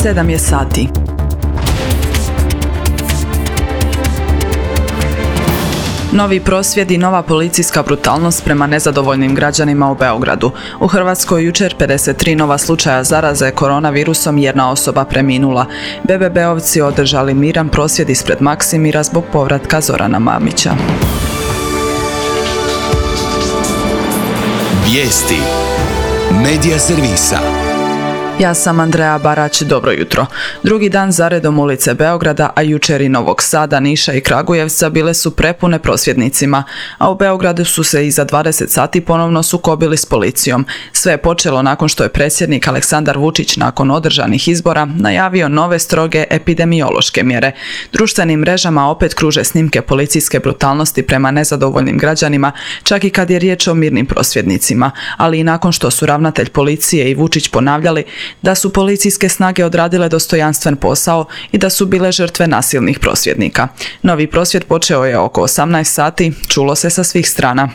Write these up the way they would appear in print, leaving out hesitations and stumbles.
7 je sati. Novi prosvjed i nova policijska brutalnost prema nezadovoljnim građanima u Beogradu. U Hrvatskoj jučer 53 nova slučaja zaraze koronavirusom, jedna osoba preminula. BBB-ovci održali miran prosvjed ispred Maksimira zbog povratka Zorana Mamića. Vijesti Medija servisa. Ja sam Andreja Barać, dobro jutro. Drugi dan zaredom ulice Beograda, a jučer i Novog Sada, Niša i Kragujevca bile su prepune prosvjednicima, a u Beogradu su se iza 20 sati ponovno sukobili s policijom. Sve je počelo nakon što je predsjednik Aleksandar Vučić nakon održanih izbora najavio nove stroge epidemiološke mjere. Društvenim mrežama opet kruže snimke policijske brutalnosti prema nezadovoljnim građanima, čak i kad je riječ o mirnim prosvjednicima, ali i nakon što su ravnatelj policije i Vučić ponavljali da su policijske snage odradile dostojanstven posao i da su bile žrtve nasilnih prosvjednika. Novi prosvjed počeo je oko 18 sati, čulo se sa svih strana.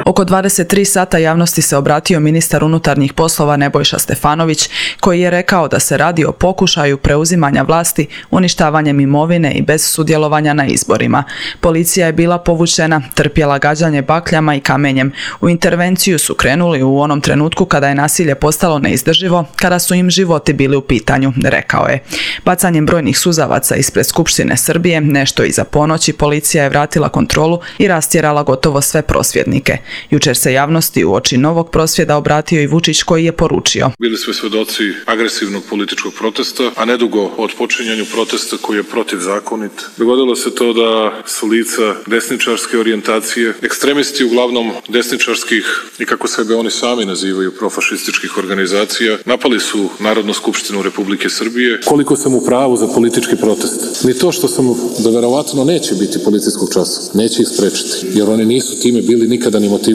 Oko 23 sata javnosti se obratio ministar unutarnjih poslova Nebojša Stefanović, koji je rekao da se radi o pokušaju preuzimanja vlasti, uništavanjem imovine i bez sudjelovanja na izborima. Policija je bila povučena, trpjela gađanje bakljama i kamenjem. U intervenciju su krenuli u onom trenutku kada je nasilje postalo neizdrživo, kada su im životi bili u pitanju, rekao je. Bacanjem brojnih suzavaca ispred Skupštine Srbije, nešto iza ponoći, policija je vratila kontrolu i rastjerala gotovo sve prosvjednike. Jučer se javnosti uoči novog prosvjeda obratio i Vučić, koji je poručio: Bili smo svjedoci agresivnog političkog protesta, a nedugo od počinjenju protesta koji je protivzakonit. Dogodilo se to da su lica desničarske orijentacije, ekstremisti uglavnom desničarskih i kako sebe oni sami nazivaju profašističkih organizacija, napali su Narodnu skupštinu Republike Srbije. Koliko sam u pravu za politički protest? Ni to što sam da verovatno neće biti policijskog časa, neće ih sprečiti, jer oni nisu time bili nikada ni motivisani.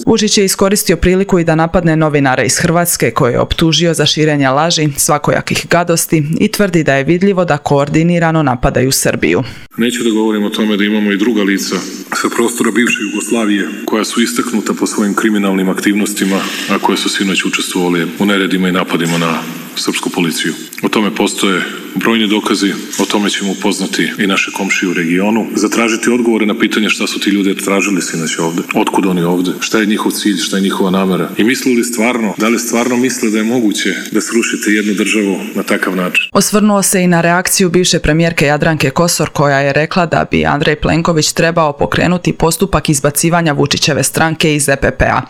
Vučić je iskoristio priliku i da napadne novinare iz Hrvatske, koje je optužio za širenje laži, svakojakih gadosti i tvrdi da je vidljivo da koordinirano napadaju Srbiju. Neću da govorim o tome da imamo i druga lica sa prostora bivše Jugoslavije koja su istaknuta po svojim kriminalnim aktivnostima, a koje su sinoć učestvovali u neredima i napadima na srpsku policiju. O tome postoje brojni dokazi, o tome ćemo upoznati i naše komšije u regionu, zatražiti odgovore na pitanje šta su ti ljudi tražili sinoć ovde, otkud oni ovde, šta je njihov cilj, šta je njihova namera i mislili stvarno, da li stvarno misle da je moguće da srušite jednu državu na takav način. Osvrnuo se i na reakciju bivše premijerke Jadranke Kosor, koja je rekla da bi Andrej Plenković trebao pokrenuti postupak izbacivanja Vučićeve stranke iz EPP-a.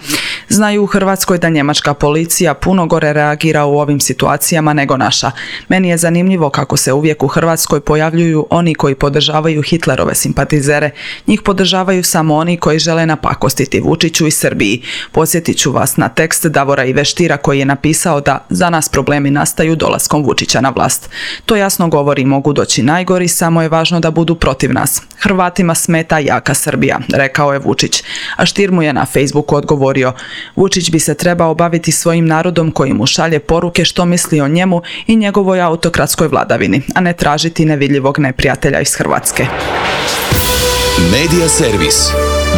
Znaju u Hrvatskoj da njemačka policija puno gore reagira u ovim situacijama nego naša. Meni je zanimljivo kako se uvijek u Hrvatskoj pojavljuju oni koji podržavaju Hitlerove simpatizere. Njih podržavaju samo oni koji žele napakostiti Vučiću i Srbiji. Podsjetit ću vas na tekst Davora Iveštira, koji je napisao da za nas problemi nastaju dolaskom Vučića na vlast. To jasno govori, mogu doći najgori, samo je važno da budu protiv nas. Hrvatima smeta jaka Srbija, rekao je Vučić. A Stier mu je na Facebooku odgovorio: Vučić bi se trebao baviti svojim narodom koji mu šalje poruke što misli o njemu i njegovoj autokratskoj vladavini, a ne tražiti nevidljivog neprijatelja iz Hrvatske. Medija servis.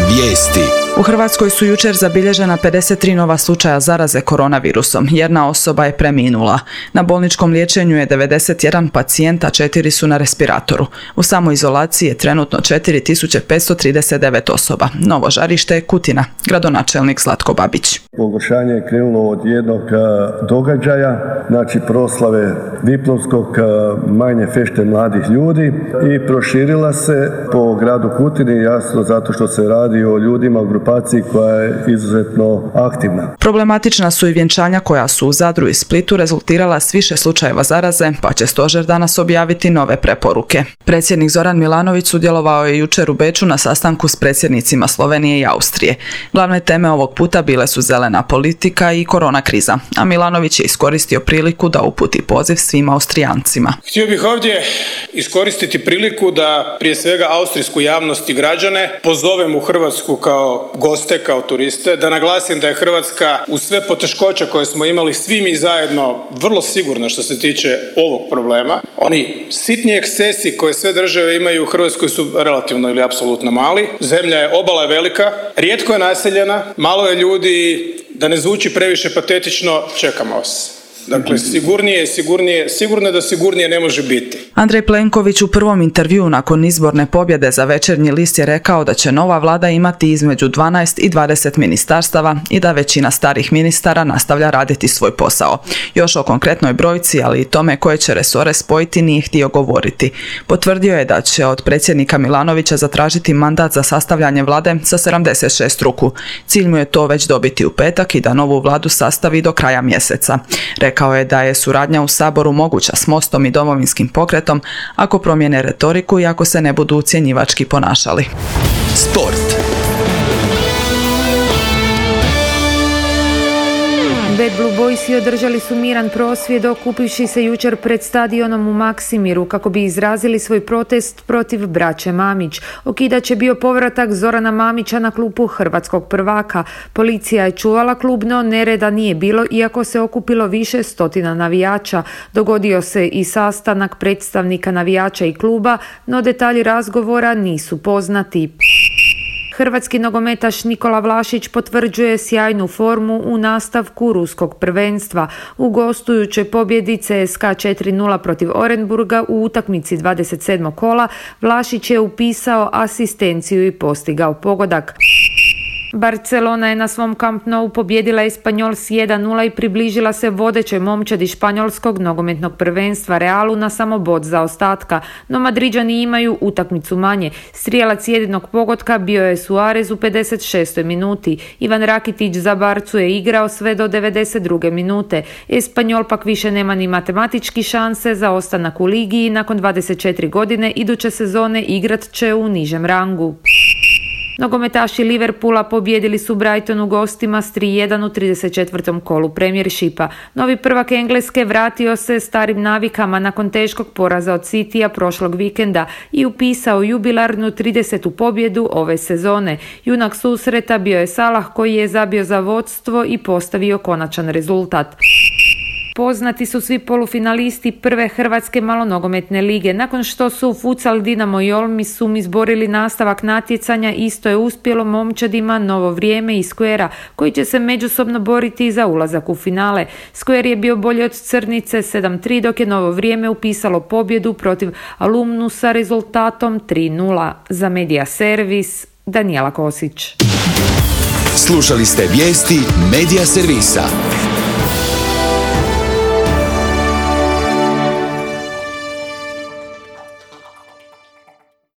Vijesti. U Hrvatskoj su jučer zabilježena 53 nova slučaja zaraze koronavirusom. Jedna osoba je preminula. Na bolničkom liječenju je 91 pacijent, a 4 su na respiratoru. U samoizolaciji je trenutno 4539 osoba. Novo žarište je Kutina, gradonačelnik Zlatko Babić. Pogoršanje je krenulo od jednog događaja, znači proslave diplomskog manje fešte mladih ljudi, i proširila se po gradu Kutini, jasno zato što se radi o ljudima u grupaciji koja je izuzetno aktivna. Problematična su i vjenčanja koja su u Zadru i Splitu rezultirala s više slučajeva zaraze, pa će stožer danas objaviti nove preporuke. Predsjednik Zoran Milanović sudjelovao je jučer u Beču na sastanku s predsjednicima Slovenije i Austrije. Glavne teme ovog puta bile su zelena politika i korona kriza, a Milanović je iskoristio priliku da uputi poziv svim Austrijancima. Htio bih ovdje iskoristiti priliku da prije svega austrijsku javnost i građane pozovem u Hrvatsku kao goste, kao turiste, da naglasim da je Hrvatska uz sve poteškoće koje smo imali svi mi zajedno vrlo sigurna što se tiče ovog problema. Oni sitni ekscesi koje sve države imaju u Hrvatskoj su relativno ili apsolutno mali. Zemlja je, obala je velika, rijetko je naseljena, malo je ljudi, da ne zvuči previše patetično, čekamo vas. Dakle, sigurno je da sigurnije ne može biti. Andrej Plenković u prvom intervjuu nakon izborne pobjede za Večernji list je rekao da će nova vlada imati između 12 i 20 ministarstava i da većina starih ministara nastavlja raditi svoj posao. Još o konkretnoj brojci, ali i tome koje će resore spojiti nije htio govoriti. Potvrdio je da će od predsjednika Milanovića zatražiti mandat za sastavljanje vlade sa 76 ruku. Cilj mu je to već dobiti u petak i da novu vladu sastavi do kraja mjeseca. Rekao je da je suradnja u Saboru moguća s Mostom i Domovinskim pokretom ako promijene retoriku i ako se ne budu ucjenjivački ponašali. Sport. Bad Blue Boysi održali su miran prosvjed okupivši se jučer pred stadionom u Maksimiru kako bi izrazili svoj protest protiv braće Mamić. Okidač je bio povratak Zorana Mamića na klupu hrvatskog prvaka. Policija je čuvala klub, no nereda nije bilo iako se okupilo više stotina navijača. Dogodio se i sastanak predstavnika navijača i kluba, no detalji razgovora nisu poznati. Hrvatski nogometaš Nikola Vlašić potvrđuje sjajnu formu u nastavku ruskog prvenstva. U gostujućoj pobjedi CSKA 4:0 protiv Orenburga u utakmici 27. kola Vlašić je upisao asistenciju i postigao pogodak. Barcelona je na svom Camp Nou pobjedila Espanyol s 1:0 i približila se vodećoj momčadi španjolskog nogometnog prvenstva Realu na samo bod zaostatka, no Madriđani imaju utakmicu manje. Strijelac jedinog pogotka bio je Suarez u 56. minuti. Ivan Rakitić za Barcu je igrao sve do 92. minute. Espanyol pak više nema ni matematički šanse za ostanak u ligi i nakon 24 godine iduće sezone igrat će u nižem rangu. Nogometaši Liverpoola pobjedili su Brighton u gostima s 3:1 u 34. kolu Premiershipa. Novi prvak Engleske vratio se starim navikama nakon teškog poraza od Citya prošlog vikenda i upisao jubilarnu 30. pobjedu ove sezone. Junak susreta bio je Salah koji je zabio za vodstvo i postavio konačan rezultat. Poznati su svi polufinalisti prve hrvatske malonogometne lige. Nakon što su Futsal, Dinamo i Olmi Sum izborili nastavak natjecanja, isto je uspjelo momčadima Novo Vrijeme i Squarea, koji će se međusobno boriti za ulazak u finale. Square je bio bolji od Crnice 7:3, dok je Novo Vrijeme upisalo pobjedu protiv Alumnusa rezultatom 3:0. Za Media Servis, Danijela Kosić. Slušali ste vijesti Media Servisa.